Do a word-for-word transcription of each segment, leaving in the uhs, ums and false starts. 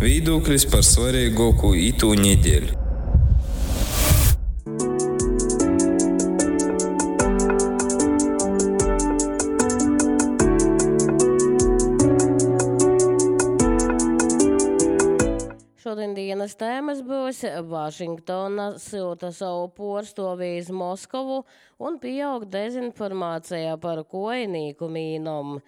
Viedoklis par svarīgāko itū nedēļu. Šodien dienas tēmas būs Vašingtona silta savu porstovi iz Moskovu un pieaug dezinformācijā par koinīku mīnom.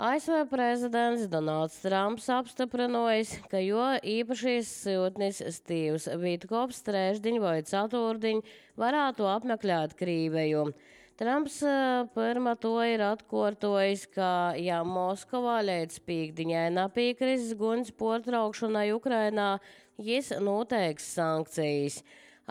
A S V prezidents Donalds Trumps apstiprinojis, ka jo īpašīs siltnis Stīvs Vitkovs trešdiņ vai ceturtdiņ varētu apmeklēt Krīveju. Trumps pirma to ir atkārtojis, ka ja Moskavā līdz pīkdiņai napīkris guns portraukšanai Ukrainā, jis noteiks sankcijas.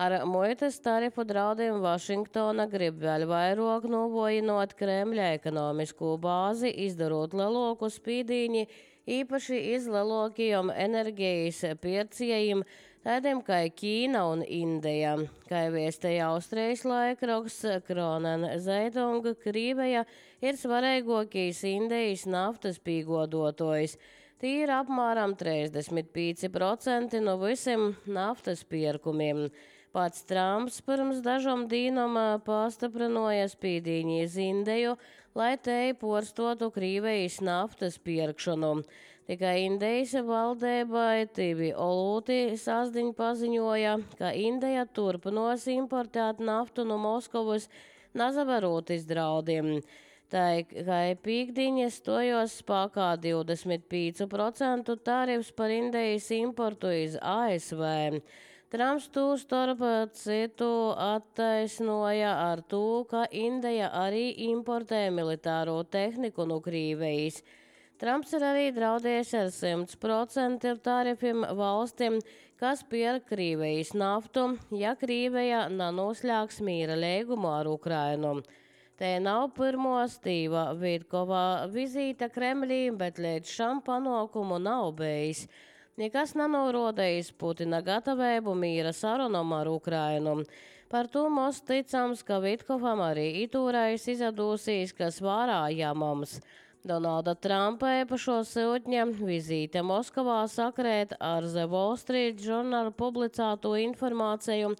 Ar muitas tarifu draudiem Vašingtona grib vēl vairāk novojinot Kremļa ekonomisku bāzi, izdarot lielāku spīdīņi, īpaši iz lielākajiem enerģijas pircējiem, tādiem kā Ķīna un Indija. Kā viestēja Austrijas laikraksts Kronen Zeitung, Krīveja ir svarīgākais Indijas naftas pīgodotājs. Tī ir apmēram trīsdesmit pieci procenti no visiem naftas pirkumiem. Pats Trumps pirms dažām dīnām pastiprināja spīdīņu iz Indiju, lai te porstotu Krīvejas naftas pirkšanu. Tikai Indijas valdībai Tivi Olūti sasdiņ paziņoja, ka Indija turpinos importēt naftu no Moskavas, nazavarot iz draudiem. Tā kā pīkdiņa stojos spēkā divdesmit pieci procenti tarifs par Indijas importu iz A S V. Trumps to starp citu attaisnoja ar to, ka Indija arī importē militāro tehniku no Krīvejas. Trumps ir arī draudējis ar simt procentu tarifiem valstim, kas pērk Krīvejas naftu, ja Krīveja nenoslēgs mīra līgumu ar Ukrainu. Te nav pirmo Stīva Vitkova vizīte Kremlī, bet līdz šam panākumu nav bijis. Nekas nenorodējis Putina gatavību mīra sarunam ar Ukrainu. Par to mums ticams, ka Vitkovam arī itūrais izadūsīs, kas vārā jāmams. Donalda Trumpa īpašo siltņa vizīte Moskavā sakrēt ar The Wall Street Journal publicēto informāciju,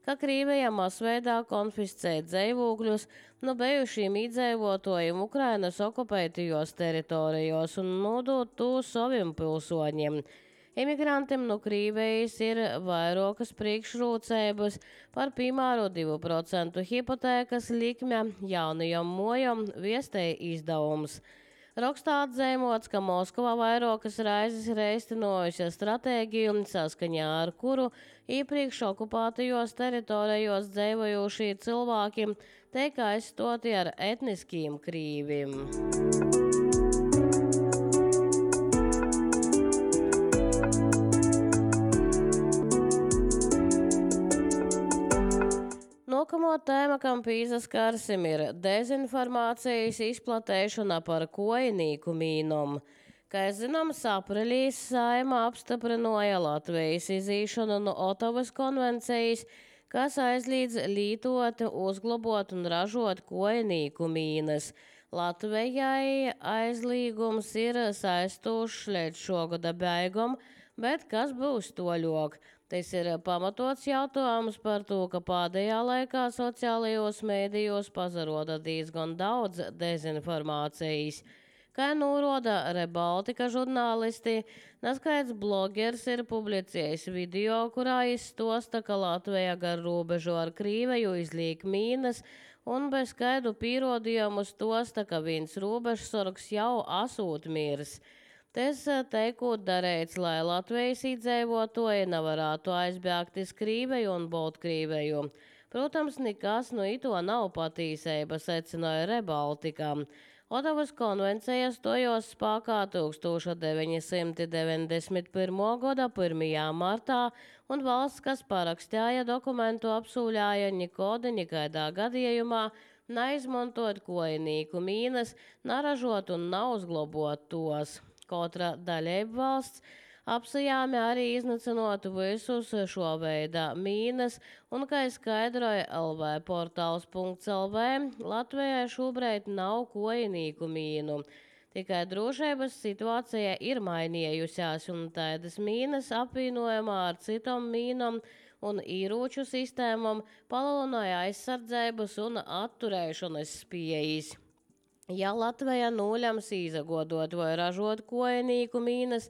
ka Krīveja masveidā konfiscē dzīvokļus no bijušiem iedzīvotājiem Ukrainas okupētajos teritorijos un nodot to saviem pilsoņiem. Imigrantiem no Krīvejas ir vairākas priekšrocības par piemēru divu procentu hipotēkas likme jaunajam mojam viestēja izdevums. Rakstā atzīmots, ka Moskavā vairākas raizes ir īstenojusi stratēģiju, saskaņā ar kuru iepriekš okupētajos teritorijos dzīvojošie cilvēki tiek aizstoti ar etniskiem krīviem. Nākamo tēma, kam pīzaskarsim, ir dezinformācijas izplatēšana par koinīku mīnom. Kā zināms, aprīlī Saeima apstiprināja Latvijas izīšanu no Otavas konvencijas, kas aizliedz lītot, uzglabot un ražot koinīku mīnas. Latvijai aizliegums ir saistošs līdz šogada beigām, bet kas būs toļok? Tas ir pamatots jautājums par to, ka pēdējā laikā sociālajos mēdījos pazaroda diezgan daudz dezinformācijas. Kā norāda Rebaltika žurnālisti, neskaidrs blogers ir publicējis video, kurā izstosta, ka Latvija gar robežu ar Krīveju izliek mīnas un bez skaidru pierādījumu stosta, ka viens robežsargs jau asūt mirs. Tas teikot darēts, lai Latvijas iedzīvotāji nevarētu aizbēgt iz Krīveju un Baltkrīveju. Protams, nekas no ito nav patīsība, secināja Rebaltika. Otavas konvencija stojos spēkā tūkstoš deviņi simti deviņdesmit pirmā gada pirmajā martā, un valsts, kas parakstīja dokumentu, apsūļāja nekādi nekādā gadījumā neizmantot koinīku mīnas, naražot un neuzglabot tos. Katra dalība valsts apsajāmi arī iznacinot visus šo veidā mīnas, un, kā skaidroja L V portāls punkts L V, Latvijai šobrīd nav koinīku mīnu. Tikai drošības situācija ir mainījusies, un tādas mīnas apvienojumā ar citām mīnām un ieroču sistēmām palielināja aizsardzības un atturēšanas spējas. Ja Latvija nolems izagodot vai ražot koinīku mīnas,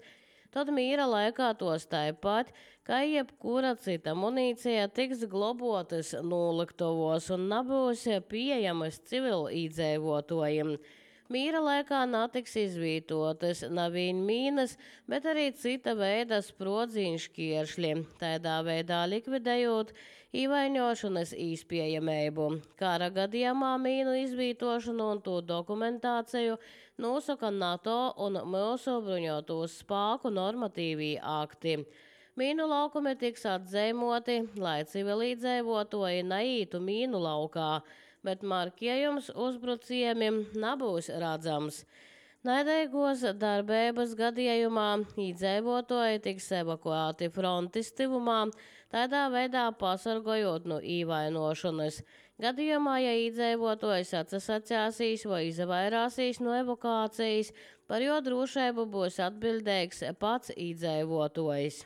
tad mīra laikā tos tāpat, kā jebkura cita munīcija tiks globotas noliktavos un nebūs pieejamas civilīdzīvotājiem. Mīra laikā netiks izvietotas nevien mīnas, bet arī cita veida sprodziņu šķieršļi, tādā veidā likvidējot īvaiņošanas īspējamību. Kara gadījumā mīnu izvietošanu un to dokumentāciju nosaka NATO un mūsu bruņoto spēku normatīvie akti. Mīnu laukumi tiks atzīmoti, lai civilīdzīvotāji neītu mīnu laukā, bet markējums uzbruciemiem nebūs redzams. Naidīgos darbības gadījumā iedzīvotāji tiks evakuēti frontes tuvumā, tādā veidā pasargājot no īvainošanas. Gadījumā, ja iedzīvotājs atsasacēsīs vai izvairāsīs no evakuācijas, par jo drošību būs atbildīgs pats iedzīvotājs.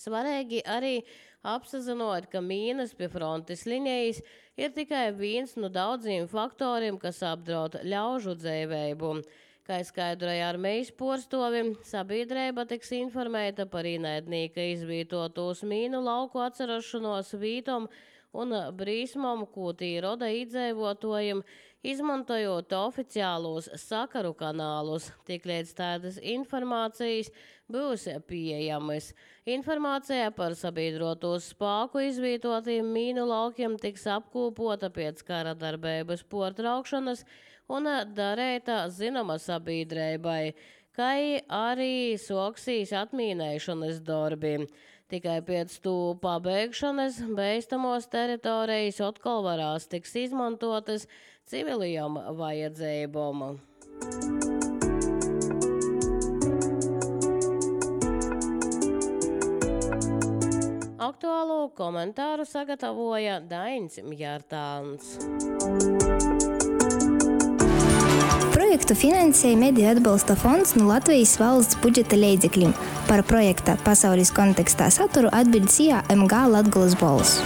Svarīgi arī apsazinot, ka mīnas pie frontes linijas ir tikai viens no daudziem faktoriem, kas apdraud ļaužu dzīvību. Kā skaidroja armijas porstovim, sabiedrība tiks informēta par ienaidnieka izvietotos mīnu lauku atcerošanos vītom un brīsmam, ko tī roda iedzīvotājiem, izmantojot oficiālos sakaru kanālus, tik līdz tādas informācijas būs pieejamas. Informācija par sabiedrotos spēku izvietotiem mīnu laukiem tiks apkopota pēc kara darbības pārtraukšanas un darēta zināma sabiedrībai, kā arī soksīs atmīnēšanas darbi. Tikai pēc to pabeigšanas beidzamos teritorijas atkal varās tiks izmantotas civilajām vajadzībām. Aktuālo komentāru sagatavoja Dainis Mjārtāns. Projektu finansēja Mediju atbalsta fonds no Latvijas valsts budžeta līdzekļiem. Par projekta pasaules kontekstā saturu atbild S I A M G Latgolas balss.